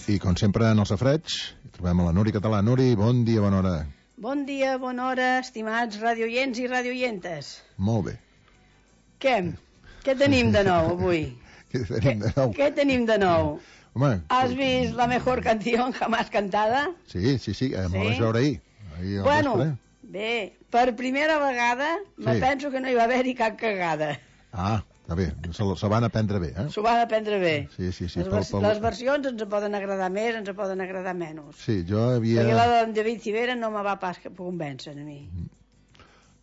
I com sempre en el safreig trobem a la Nuri Català. Nuri, bon dia, bona hora. Bon dia, bona hora, estimats radioients i radioientes. Molt bé. Què tenim de nou avui? Què tenim de nou? Home, has vist la mejor canción jamás cantada? Sí, me la vaig veure ahir. Bueno, bé, per primera vegada me penso que no hi va haver-hi cap cagada. Ah, està bé, se van aprendre bé, eh? S'ho van aprendre bé. Sí. Les versions ens poden agradar més, ens poden agradar menys. Sí, jo havia... Perquè la de David Civera no me va pas convèncer a mi.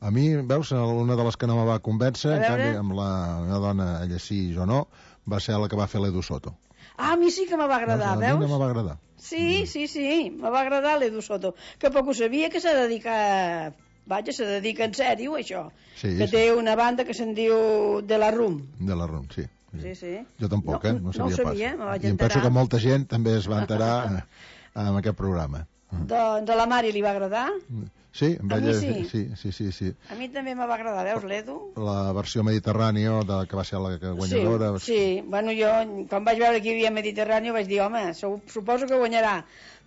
A mi, veus, una de les que no me va convèncer, en canvi, amb la meva dona, ella sí, jo no, va ser la que va fer l'Edu Soto. Ah, a mi sí que me va agradar, veus? A mi no me va agradar. Sí, me va agradar l'Edu Soto, que poc ho sabia que s'ha dedicat... Vaja, se dedica en sèrio a això. Sí, que té una banda que se'n diu De la Rum. De la Rum, sí. Sí. Jo tampoc, no sabia pas. Me vaig enterar. I em penso que molta gent també es va enterar en aquest programa. Doncs a la Mari li va agradar? Sí, a mi sí. Sí. A mi també me va agradar, veus, l'Edu? La versió Mediterrània, que va ser la guanyadora. Sí, bueno, jo, quan vaig veure que hi havia Mediterrània, vaig dir, home, suposo que guanyarà,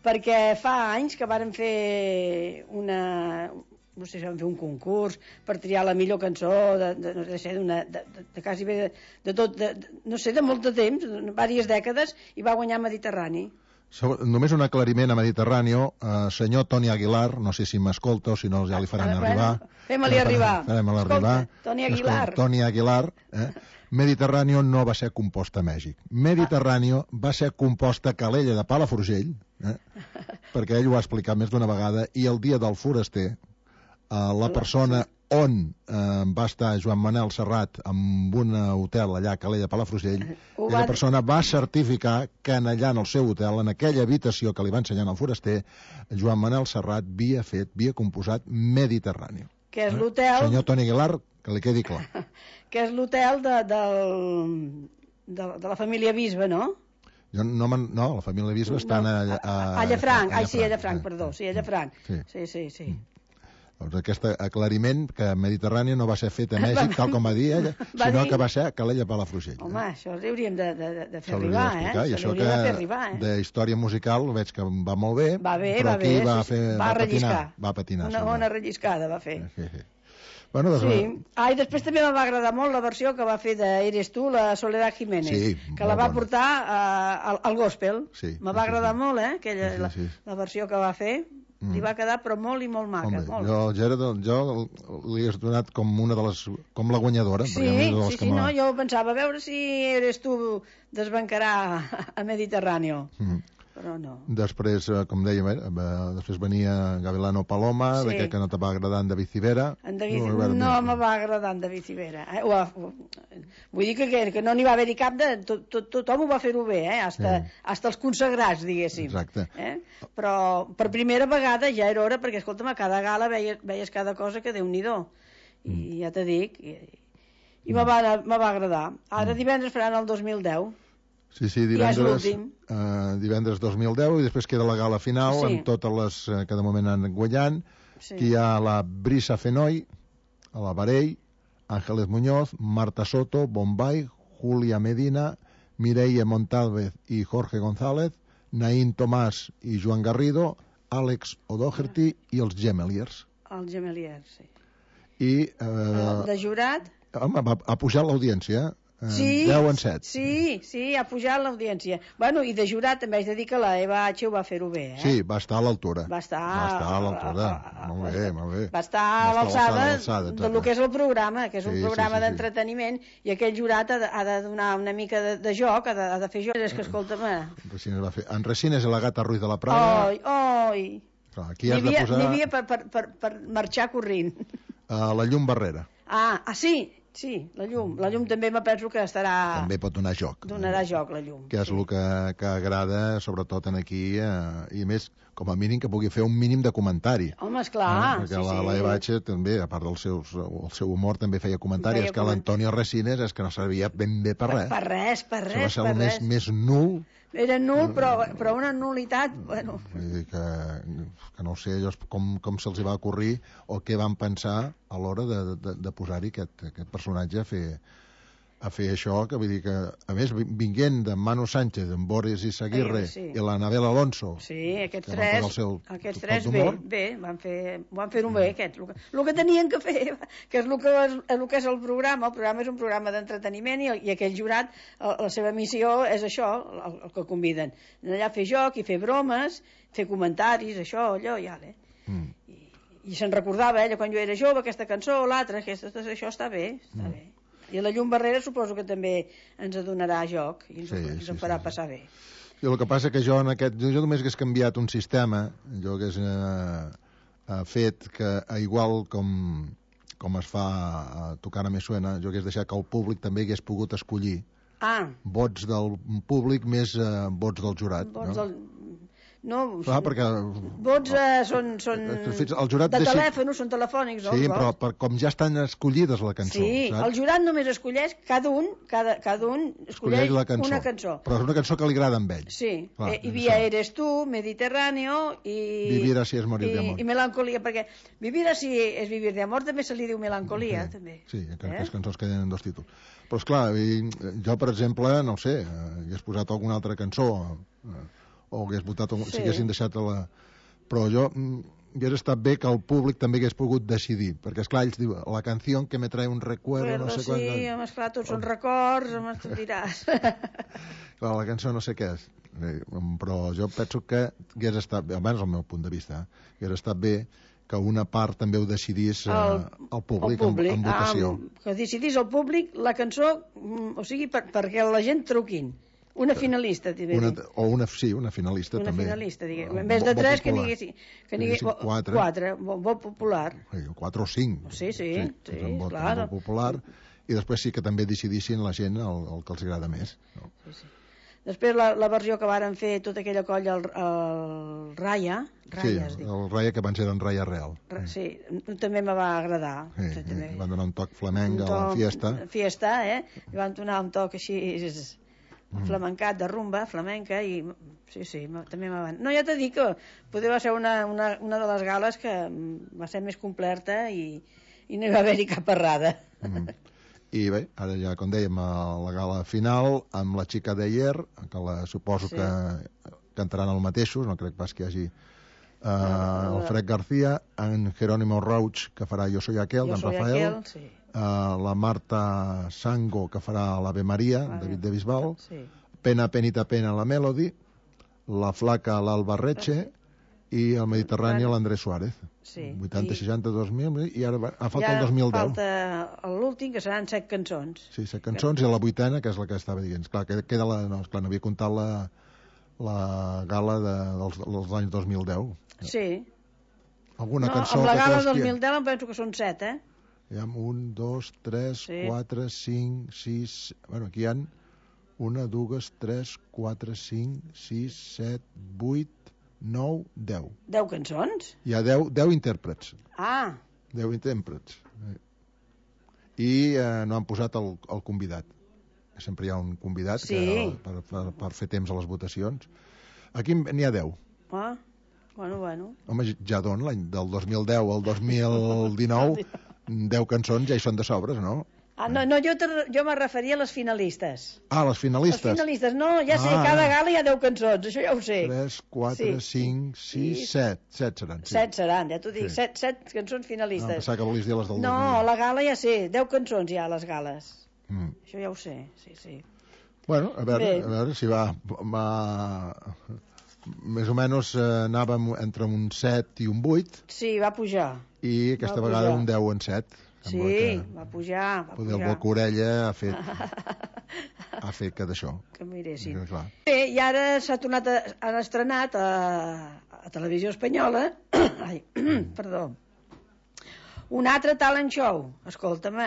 perquè fa anys que varen fer no sé si van fer un concurs per triar la millor cançó de quasi bé de tot, no sé, de molt de temps, diverses dècades, i va guanyar Mediterrani. Només un aclariment a Mediterrània, senyor Toni Aguilar, no sé si m'escolta o si no ja li faran arribar. Fem-li arribar. Escolta, Toni Aguilar. Toni Aguilar, Mediterrània no va ser composta a Mèxic. Mediterrània va ser composta a Calella de Palafrugell, perquè ell ho ha explicat més d'una vegada, i el dia del foraster, la persona on va estar Joan Manel Serrat en un hotel allà a Calella de Palafrugell, aquella persona va certificar que allà en el seu hotel, en aquella habitació que li va ensenyar al foraster, Joan Manel Serrat havia composat Mediterrani. Que és l'hotel... Senyor Toni Aguilar, que li quedi clar. Que és l'hotel de la família Bisbe, no? No, la família Bisbe està a Llafranc. A Llafranc, perdó. Sí, a Llafranc. Sí. Doncs aquest aclariment que Mediterrània no va ser fet a Mèxic, tal com va dir ella, sinó que va ser a Calella Palafrugell. Home, això li hauríem de fer arribar, I això que de història musical veig que va molt bé, però aquí va patinar. Una bona relliscada va fer. Bueno, sí. I després també me va agradar molt la versió que va fer d'Eres tu, la Soledad Jiménez, que la va portar al gospel. Me va agradar molt, la versió que va fer. Li va quedar però molt i molt maca. Jo li he donat com una de les... com la guanyadora. Sí, no, jo pensava, a veure si Eres tu desbancarà a Mediterrània. Però no. Després, com dèiem, després venia Gavilano Paloma, que no te va agradar en David Civera. No me va agradar en David Civera. Vull dir que no n'hi va haver-hi cap de... Tothom ho va fer-ho bé, hasta els consagrats, diguéssim. Exacte. Però per primera vegada ja era hora, perquè, escolta'm, a cada gala veies cada cosa que Déu-n'hi-do. I ja te dic... I me va agradar. Ara divendres faran el 2010. Sí, divendres 2010, i després queda la gala final amb totes les que de moment han guanyant. Aquí hi ha la Brisa Fenoy, a la Varell, Ángeles Muñoz, Marta Soto, Bombay, Julia Medina, Mireia Montalvez i Jorge González, Naín Tomàs i Joan Garrido, Àlex O'Doherty i els Gemeliers. Els Gemeliers, sí. I... de jurat? Home, ha pujat l'audiència, 10 en 7. Sí, ha pujat l'audiència. Bueno, i de jurat també haig de dir que la Eva H. ho va fer-ho bé, Sí, va estar a l'altura. Va estar a l'altura. Molt bé. Va estar a l'alçada del que és el programa, que és un programa d'entreteniment, i aquell jurat ha de donar una mica de joc, ha de fer joc. És que, escolta'm... En Resines i la Gata Ruiz de la Praga... Oi! Aquí has de posar... N'hi havia per marxar corrent. La Llum Barrera. Sí, la llum també me penso que estarà... També pot donar joc. Donarà joc, la llum. Que és el que agrada, sobretot aquí, i a més, com a mínim, que pugui fer un mínim de comentari. Home, esclar. Perquè la Eva H. també, a part del seu humor, també feia comentari. És que l'Antonio Resines és que no servia ben bé per res. Per res. Això va ser el més nul. Era nul, però una nulitat... Bueno. Vull dir que no sé com se'ls va ocórrer o què van pensar a l'hora de posar-hi aquest personatge a fer a fer això, que vull dir que, a més, vinguent de Manu Sánchez, en Boris Izaguirre i l'Anabel Alonso, sí, aquests tres bé, van fer-ho bé, aquests. El que tenien que fer, que és el que és el programa és un programa d'entreteniment i aquell jurat, la seva missió és això, el que conviden. Allà a fer joc i fer bromes, fer comentaris, això, allò, i ara. I se'n recordava, quan jo era jove, aquesta cançó, l'altra, això està bé, està bé. I la llum barrera suposo que també ens donarà joc i ens en farà passar bé. I el que passa que jo només hagués canviat un sistema, jo hagués fet que, igual com es fa a Tocant Me Suena, jo hagués deixat que el públic també hagués pogut escollir vots del públic més vots del jurat. No, perquè vots són de telèfon, són telefònics, no? Sí, però com ja estan escollides la cançó. Sí, el jurat només escolleix, cada un escolleix una cançó. Però és una cançó que li agrada amb ell. Sí, i Via Eres Tu, Mediterráneo i... Vivir así es morir de amor. I Melancolía, perquè Vivir así es vivir de amor també se li diu Melancolía, també. Sí, aquestes cançons que tenen dos títols. Però esclar, jo, per exemple, no sé, hagués posat alguna altra cançó... o hagués votat, si haguessin deixat però jo hauria estat bé que el públic també hagués pogut decidir, perquè esclar, ells diuen la canció que me trae un recuerdo, no sé quan... Sí, esclar, tots són records, tu diràs. Clar, la cançó no sé què és, però jo penso que hagués estat bé, almenys el meu punt de vista, hagués estat bé que una part també ho decidís el públic en votació. Que decidís el públic la cançó, o sigui, perquè la gent truquin. Una finalista, una finalista, també. Una finalista, diguem. En vez de 3, que n'hi hagués 4, vot popular. 4 o 5. Sí, clar. Vot popular, i després sí que també decidissin la gent el que els agrada més. No? Sí. Després la versió que varen fer tota aquella colla, el Raya. Sí, el Raya, que abans era en Raya Real. Sí, també me va agradar. Van donar un toc flamenc a la fiesta. Fiesta, i van donar un toc així... flamencat, de rumba, flamenca, i sí, també me van... No, ja t'he dit que poder va ser una de les gales que va ser més completa i no hi va haver-hi cap errada. I bé, ara ja, com dèiem, la gala final amb la xica d'Ayer, que suposo que cantaran els mateixos, no crec pas que hi hagi el Fred García, en Jerónimo Rauch, que farà Jo soy aquel, d'en Rafael, la Marta Sango, que farà l'Ave Maria, David de Bisbal, Pena, Penita, Pena, la Melody, la Flaca, l'Alba Reche, i el Mediterrani, l'Andrés Suárez. 80, 60, 2000, i ara falta el 2010. Falta l'últim, que seran 7 cançons. Sí, 7 cançons, i la 8a, que és la que estava dient. Clar, queda no havia comptat la gala dels anys 2010. Sí. Alguna cançó... Amb la gala del 2010 em penso que són 7, Hi ha 1, 2, 3, 4, 5, 6... Bueno, aquí hi ha 1, 2, 3, 4, 5, 6, 7, 8, 9, 10. 10 cançons? Hi ha 10 intèrprets. 10 intèrprets. I no han posat el convidat. Sempre hi ha un convidat per fer temps a les votacions. Aquí n'hi ha 10. Bueno. Home, ja l'any del 2010 al 2019... 10 cançons ja hi són de sobres, no? No, jo me referia a les finalistes. Les finalistes. Les finalistes, no, ja sé, cada gala hi ha 10 cançons, això ja ho sé. 3, 4, 5, 6, 7. 7 seran. 7 seran, ja t'ho dic, 7 cançons finalistes. No, pensava que volies dir les del 2010. No, la gala ja sé, 10 cançons hi ha a les gales. Això ja ho sé, sí. Bueno, a veure si va... Més o menys anàvem entre un 7 i un 8. Sí, va pujar. I aquesta vegada un 10 en 7. Sí, va pujar. Poder el Boca Orella ha fet que d'això. Que miressin. Bé, i ara han estrenat a Televisió Espanyola perdó, un altre talent show, escolta'm,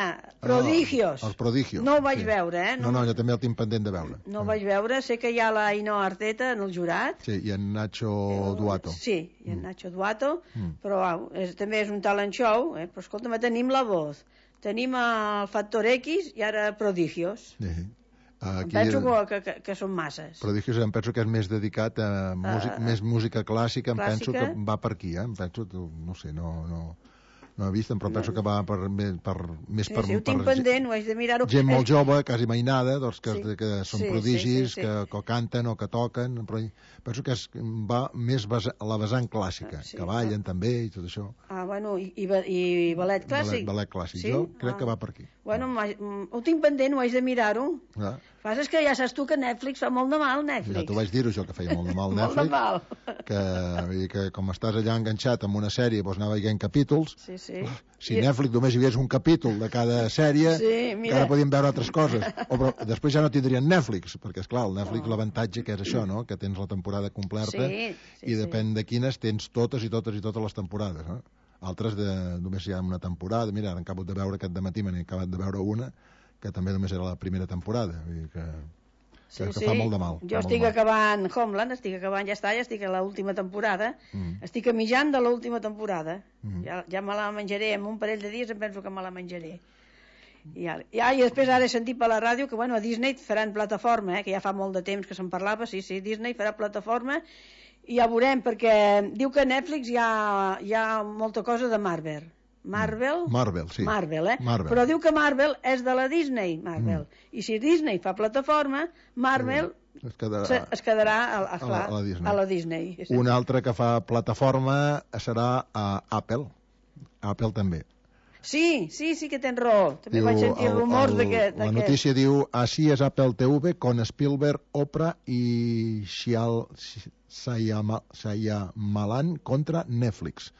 Prodigios. Els Prodigios. No ho vaig veure, No, jo també el tinc pendent de veure. No ho vaig veure, sé que hi ha la Ainhoa Arteta en el jurat. Sí, i en Nacho Duato. Sí, i en Nacho Duato, però també és un talent show, però escolta'm, tenim La Voz, tenim el Factor X i ara Prodigios. Penso que són masses. Prodigios em penso que és més dedicat a més música clàssica, em penso que va per aquí, em penso, no sé, no... No he vist, però penso que va més per... Sí, ho tinc pendent, ho haig de mirar-ho. Gent molt jove, quasi mainada, doncs, que són prodigis, sí. que canten o que toquen, però penso que va més a la vessant clàssica, que ballen també i tot això. Bueno, i ballet clàssic? Ballet clàssic, jo crec que va per aquí. Bueno, ho tinc pendent, ho haig de mirar-ho. El que passa és que ja saps tu que Netflix fa molt de mal, Netflix. Ja t'ho vaig dir-ho, jo, que feia molt de mal Netflix. Molt de mal. Que com estàs allà enganxat amb una sèrie, doncs anar veient capítols. Sí. Si Netflix només hi hagués un capítol de cada sèrie, encara podíem veure altres coses. Però després ja no tindrien Netflix, perquè, esclar, el Netflix l'avantatge que és això, no?, que tens la temporada completa i depèn de quines tens totes les temporades, no? Altres només hi ha una temporada. Mira, ara acabo de veure aquest dematí, m'he acabat de veure una que també només era la primera temporada. Vull dir que fa molt de mal. Jo estic acabant Homeland, ja estic a l'última temporada, estic a mitjan de l'última temporada. Ja me la menjaré, en un parell de dies em penso que me la menjaré. I després ara he sentit per la ràdio que a Disney faran plataforma, que ja fa molt de temps que se'n parlava, sí, Disney farà plataforma, i ja veurem, perquè diu que a Netflix hi ha molta cosa de Marvel, sí. Marvel. Però diu que Marvel és de la Disney, i si Disney fa plataforma, Marvel es quedarà a la Disney. Un altre que fa plataforma serà a Apple també. Sí que tens raó, també vaig sentir rumors d'aquest. La notícia diu: així és Apple TV con Spielberg, Oprah i Shyamalan contra Netflix.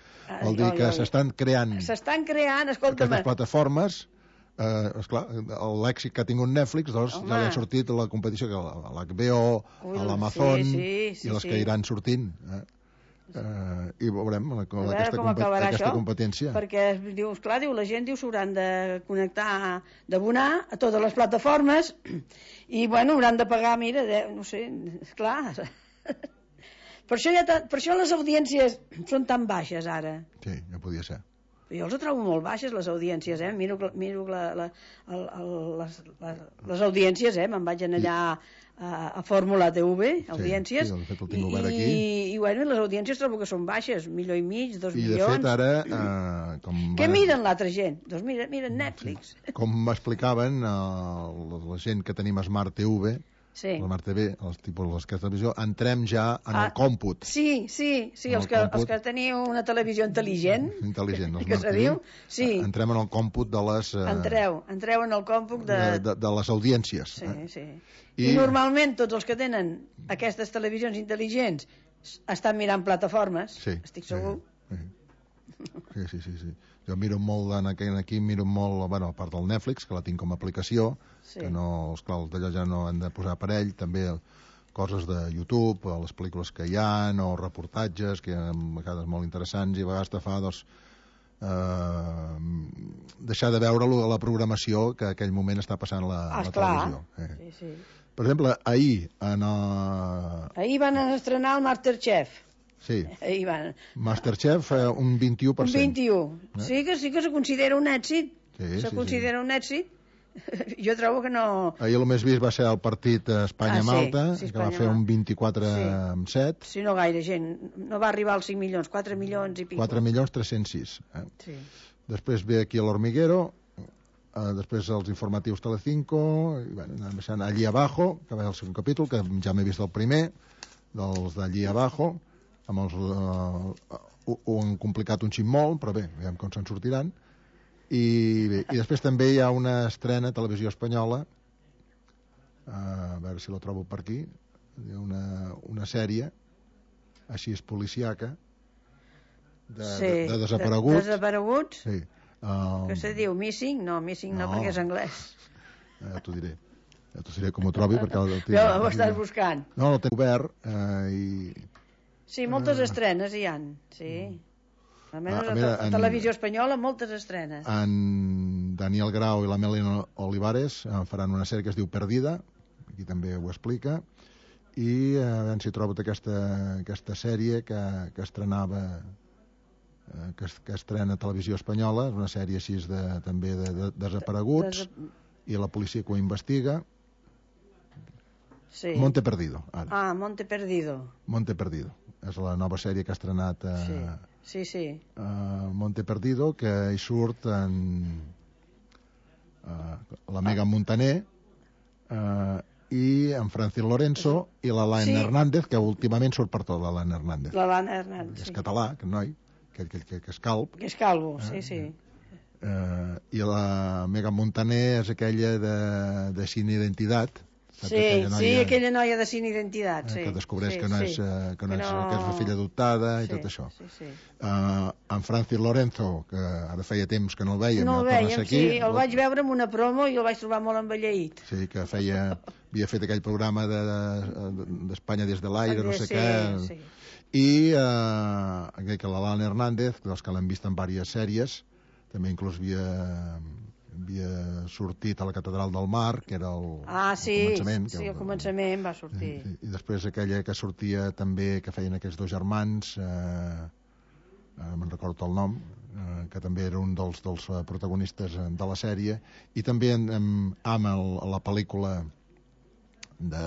Vol dir que s'estan creant aquestes plataformes. Esclar, l'èxit que ha tingut Netflix, doncs ja li han sortit la competició que l'HBO, l'Amazon i les que iran sortint. I veurem aquesta competència. Perquè diu, la gent s'hauran de connectar, d'abonar a totes les plataformes i hauran de pagar, mira, no sé, esclar. Per això les audiències són tan baixes ara. Sí, ja podia ser. Jo els trobo molt baixes, les audiències, miro les audiències, me'n vaig allà a Fórmula TV, audiències, i les audiències trobo que són baixes, 1,5 milions, 2 milions. I de fet ara... Què miren l'altra gent? Doncs miren Netflix. Com m'explicaven la gent que tenim Smart TV, la Smart TV, les que televisió, entrem ja en el còmput. Sí, els que teniu una televisió intel·ligent, que se diu, entrem en el còmput de les... Entreu en el còmput de les audiències. Sí. I normalment tots els que tenen aquestes televisions intel·ligents estan mirant plataformes, estic segur. Sí. Jo miro molt aquí, a part del Netflix, que la tinc com a aplicació, que no, esclar, els d'allò ja no han de posar aparell, també coses de YouTube, les pel·lícules que hi ha, o reportatges, que a vegades molt interessants, i a vegades te fa, deixar de veure la programació que en aquell moment està passant a la televisió. Sí. Per exemple, ahir van estrenar el Masterchef. Sí. Masterchef, un 21%. Un 21%. Sí que se considera un èxit. Considera un èxit. Jo trobo que no... Ahir el més vist va ser el partit Espanya-Malta, que va fer un 24,7. Sí, no gaire gent. No va arribar als 5 milions, 4 milions i pico. 4.306.000. Sí. Després ve aquí l'Hormiguero, després els informatius Telecinco, i anem baixant Allí Abajo, que va ser el segon capítol, que ja m'he vist el primer, dels d'Allí Abajo, ho han complicat un xic molt, però bé, veiem com se'n sortiran. I després també hi ha una estrena a Televisió Espanyola, a veure si la trobo per aquí, una sèrie, així és policiaca, de desapareguts. Desapareguts? Sí. Que se diu Missing? No, Missing no, perquè és anglès. Ja t'ho diré. Ja t'ho diré com ho trobi, perquè... Ho estàs buscant. No, el tenc obert i... Sí, moltes estrenes hi ha, sí. Almenys a Televisió Espanyola moltes estrenes. En Daniel Grau i la Melina Olivares faran una sèrie que es diu Perdida, aquí també ho explica, i a veure si trobo aquesta sèrie que estrenava, que estrena a Televisió Espanyola, és una sèrie així també de desapareguts, i la policia que ho investiga. Sí. Monte Perdido, ara. Monte Perdido. és la nova sèrie que ha estrenat sí. Monte Perdido, que hi surt la Megan Montaner i en Francis Lorenzo i l'Alain Hernández, que últimament surt per tot, l'Alain Hernández. L'Alain Hernández, és català, aquest noi, que és calb. Que és calvo, sí. I la Megan Montaner és aquella de Sin Identitat. Sí, aquella noia de Sin Identitat, que descobreix que és una filla adoptada i tot això. En Francis Lorenzo, que ara feia temps que no el vèiem, el vaig veure en una promo i el vaig trobar molt envelleït. Sí, que havia fet aquell programa d'Espanya des de l'aire, no sé què. I que l'Alain Hernández, dels que l'hem vist en diverses sèries, també inclús havia sortit a la Catedral del Mar, que era el començament. Sí, al començament va sortir. I després aquella que sortia també, que feien aquests dos germans, no me'n recordo el nom, que també era un dels protagonistes de la sèrie, i també amb la pel·lícula de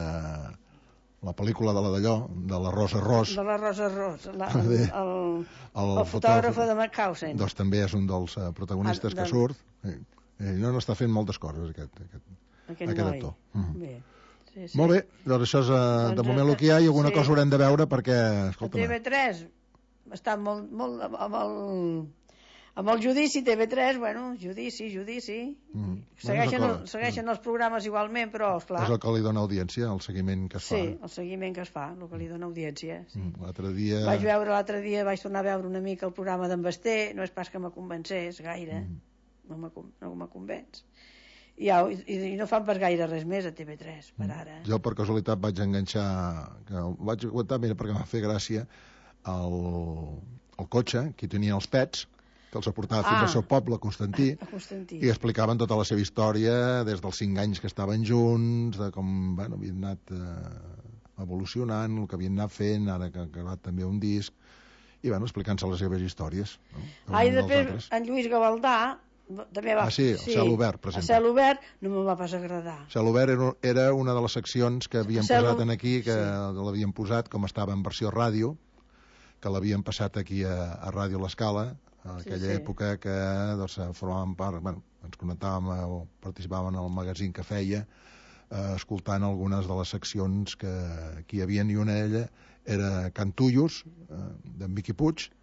la Rosa Ros. De la Rosa Ros, el fotògraf de Mauthausen. Doncs també és un dels protagonistes que surt. No està fent moltes coses, aquest actor. Bé. Molt bé, doncs això és de moment el que hi ha, i alguna cosa haurem de veure perquè, escolta'm... TV3 està molt amb el judici, TV3, judici. Segueixen els programes igualment, però, esclar... És el que li dona audiència, el seguiment que es fa. Sí, el seguiment que es fa, el que li dona audiència. L'altre dia... L'altre dia vaig tornar a veure una mica el programa d'en Basté, no és pas que me convencés gaire, no me convenç. I no fan pas gaire res més a TV3, per ara. Jo, per casualitat, vaig enganxar... Vaig aguantar, mira, perquè m'ha fet gràcia, el cotxe, que tenia els pets, que els portava fins al seu poble, Constantí, i explicaven tota la seva història des dels 5 anys que estaven junts, de com havien anat evolucionant, el que havien anat fent, ara que ha acabat també un disc, i explicant-se les seves històries. I després en Lluís Gavaldà també va... el Cel Obert, per exemple. El Cel Obert no me va pas agradar. El Cel Obert era una de les seccions que havien posat aquí, que l'havien posat, com estava en versió ràdio, que l'havien passat aquí a Ràdio L'Escala, en aquella època que formàvem part, ens connectàvem o participàvem en el magazín que feia, escoltant algunes de les seccions que hi havia, i una d'elles era Cantullos, d'en Miqui Puig,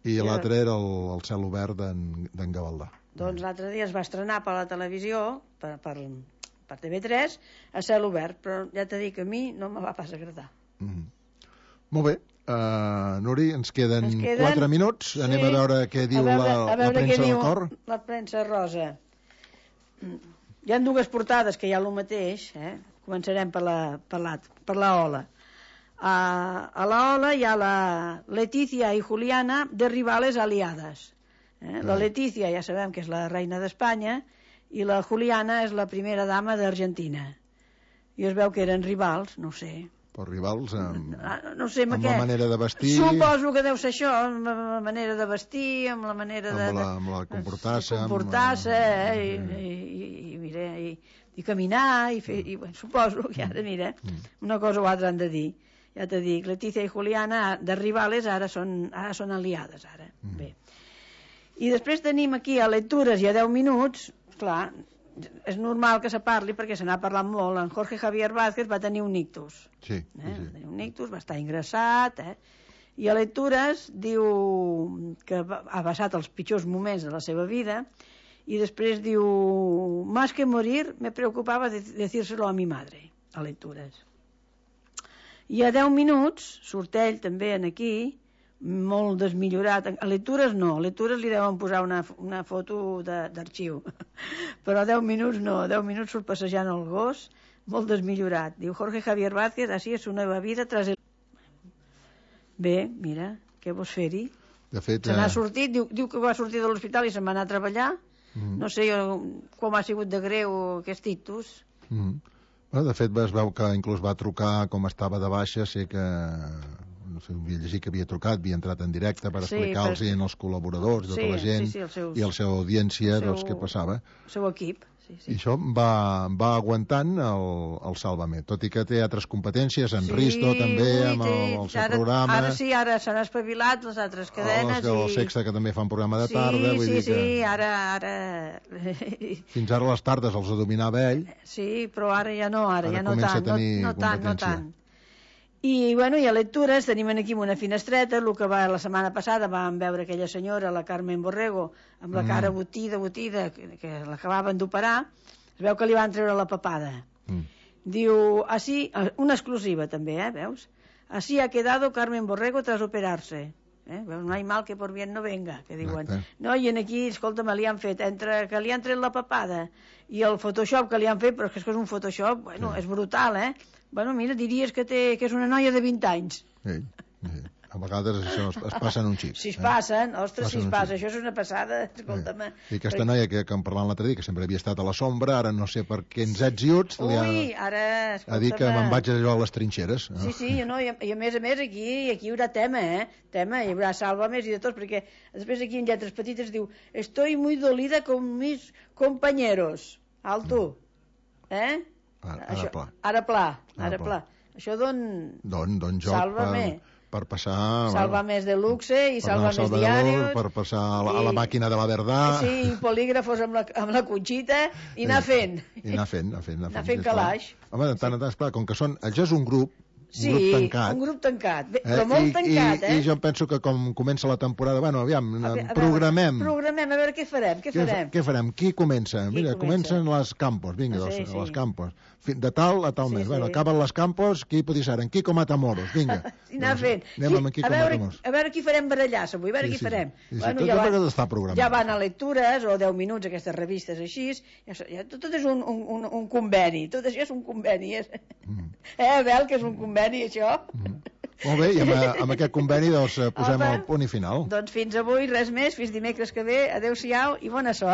i l'altra era el Cel Obert d'en Gavaldà. Doncs l'altre dia es va estrenar per la televisió, per TV3, a Cel Obert, però ja t'he dit que a mi no me va pas agradar. Molt bé. Nuri, ens queden 4 minuts. Anem a veure què diu la premsa del cor. La premsa rosa. Hi ha 2 portades que hi ha el mateix. Començarem per la Ola. A la Ola hi ha la Leticia i Juliana de rivales aliades. La Leticia ja sabem que és la reina d'Espanya i la Juliana és la primera dama d'Argentina. I es veu que eren rivals, no ho sé. Per rivals amb la manera de vestir. Suposo que deu ser això, amb la manera de vestir, amb la manera amb la comportar-se, i caminar, i suposo que ara, mira, una cosa o altra han de dir. Ja t'he dit, Leticia i Juliana, de rivales, ara són aliades, ara. Bé. I després tenim aquí a lectures i a 10 minuts, clar, és normal que se parli perquè se n'ha parlat molt. En Jorge Javier Vázquez va tenir un ictus. Sí. Un ictus, va estar ingressat, i a lectures diu que ha passat els pitjors moments de la seva vida, i després diu, más que morir me preocupaba decírselo a mi madre, a lectures. I a 10 minuts surt ell també aquí, molt desmillorat. A lectures no, a lectures li deuen posar una foto d'arxiu, però a 10 minuts no, a 10 minuts surt passejant el gos, molt desmillorat. Diu Jorge Javier Vázquez, así es una nova vida tras el... Bé, mira, què vols fer-hi? De fet... Se n'ha sortit, diu que va sortir de l'hospital i se'n va anar a treballar. No sé com ha sigut de greu aquest ictus. De fet, es veu que inclús va trucar com estava de baixa, sé que... no sé, havia llegit que havia trucat, havia entrat en directe per explicar-los als col·laboradors, tota la gent, i a la seva audiència, què passava. El seu equip, I això va aguantant el Sálvame, tot i que té altres competències, en Risto també, amb el seu programa. Ara s'han espavilat les altres cadenes. El Sexta, que també fa un programa de tarda. Sí, ara... Fins ara les tardes els dominava ell. Sí, però ara ja no, ara ja no comença tant. A tenir no competència. tant. I a lectures tenim aquí una finestreta, el que la setmana passada vam veure aquella senyora, la Carmen Borrego, amb la cara botida, que l'acabaven d'operar, es veu que li van treure la papada. Diu, así, una exclusiva també, veus? Así ha quedado Carmen Borrego tras operarse. Veus, no hay mal que por bien no venga, que diuen. No, i aquí, escolta'm, li han fet, entre que li han tret la papada i el Photoshop que li han fet, però és que és un Photoshop, és brutal, Bueno, mira, diries que és una noia de 20 anys. Sí. A vegades això es passen un xip. Si es passen, ostres, si es passa, això és una passada, escolta'm. I aquesta noia que en parlant l'altre dia, que sempre havia estat a la sombra, ara no sé per què ens ets iuts, ha dit que me'n vaig allò a les trinxeres. Sí, i a més, aquí hi haurà tema, tema, hi haurà Sálvame i de tots, perquè després aquí en lletres petites diu estoy muy dolida con mis compañeros. Alto. Ara pla. Això don joc per passar... Sálvame de luxe i Sálvame diarios. Per passar a la màquina de la verdad. Sí, polígrafos amb la Conxita i anar fent. I anar fent calaix. Home, de tant en tant, esclar, com que això és un grup tancat. Un grup tancat, però molt tancat, I jo penso que com comença la temporada, aviam, programem. Programem, a veure què farem. Què farem? Qui comença? Mira, comencen les Campos, vinga, les Campos. De tal a tal mes. Bueno, acaben les Campos, qui pot ser? En Quico Matamoros, vinga. I anar fent. A veure qui farem barallar-se avui, a veure qui farem. Ja van a lectures, o 10 minuts, aquestes revistes així, tot és un conveni, tot això és un conveni. Abel, que és un conveni, això? Molt bé, i amb aquest conveni posem el punt i final. Doncs fins avui, res més, fins dimecres que ve, adeu-siau i bona sort.